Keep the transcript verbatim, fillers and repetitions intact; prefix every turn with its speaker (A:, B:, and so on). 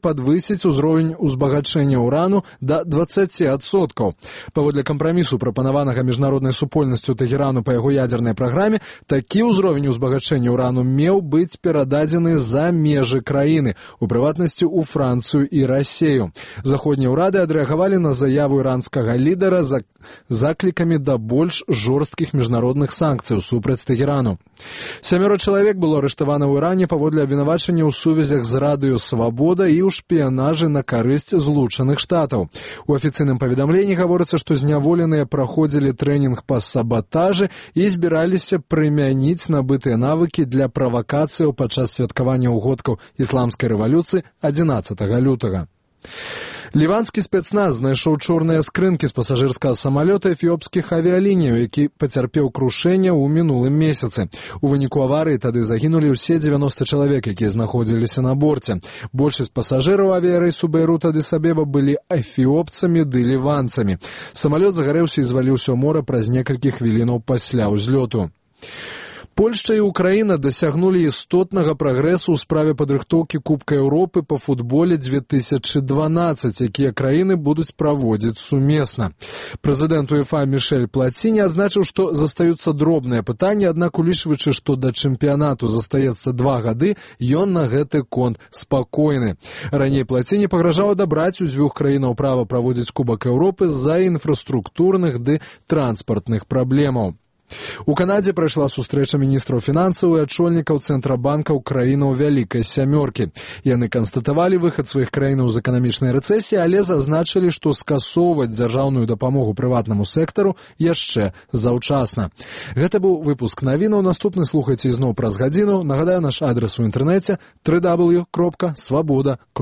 A: падвысіць узровень узбагачэння ўрану да дваццаці адсоткаў. Паводле кампрамісу, прапанаванага міжнароднай супольнасцю Тэхерану па яго ядзернай праграме, такі ўзровень узбагачэння ўрану меў быць перададзены за межы краіны, у прыватнасці ў Францыю і Расею. Заходнія ўрады адрэагавалі на заяву іранскага лідара за заклікамі да больш жорсткіх міжнародных санкцыяў супраць Тэхерану. Сямёра чалавек было арыштавана ў Іране паводле абвінавачання ў сувязях з радыё «Свабода» і ў шпіянажы на карысць Злучаных Штатаў. У афіцыйным паведамленні гаворыцца, што зняволеныя праходзілі трэнінг па сабатажы і збіраліся прымяніць набытыя навыкі для правакацыяў падчас святкавання ўгодкаў ісламскай рэвалюцыі адзінаццатага лютага. Ліванскі спецназ знайшоў чорныя скрынкі з пасажырскага самалёта эфіопскіх авіялініяў, які пацярпеў крушэнне ў мінулым месяцы. У выніку аварыі тады загінулі ўсе дзевяноста чалавек, якія знаходзіліся на борце. Большасць пасажыраў авіярэйсу Бейрут-Адыс-Абеба былі эфіопцамі ды ліванцамі. Самалёт загарэўся і зваліўся ў мора праз некалькі хвілінаў пасля ўзлёту. Польшча і Украіна дасягнулі істотнага прагрэсу ў справе падрыхтоўкі Кубка Еўропы па футболе две тысячы дванаццаць, якія краіны будуць праводзіць сумесна. Прэзідэнт УЕФА Мішэль Плаціні адзначыў, што застаюцца дробныя пытанні, аднак улічваючы, што да чэмпіянату застаецца два гады, ён на гэты конт спакойны. Раней Плаціні пагражаў адабраць у дзвюх краінаў права праводзіць Кубак Еўропы з-за інфраструктурных ды транспартных праблемаў. У Канадзе прайшла сустрэча міністраў фінансаў і адчольнікаў цэнтрабанкаў краінаў Вялікай сямёркі. Яны канстатавалі выхад сваіх краінаў з эканамічнай рэцэсіі, але зазначылі, што скасоўваць дзяржаўную дапамогу прыватнаму сектару яшчэ заўчасна. Гэта быў выпуск навінаў. Наступны слухайце ізноў праз гадзіну. Нагадаю, наш адрас у інтэрнэце дабл ю дабл ю дабл ю кропка свабода кропка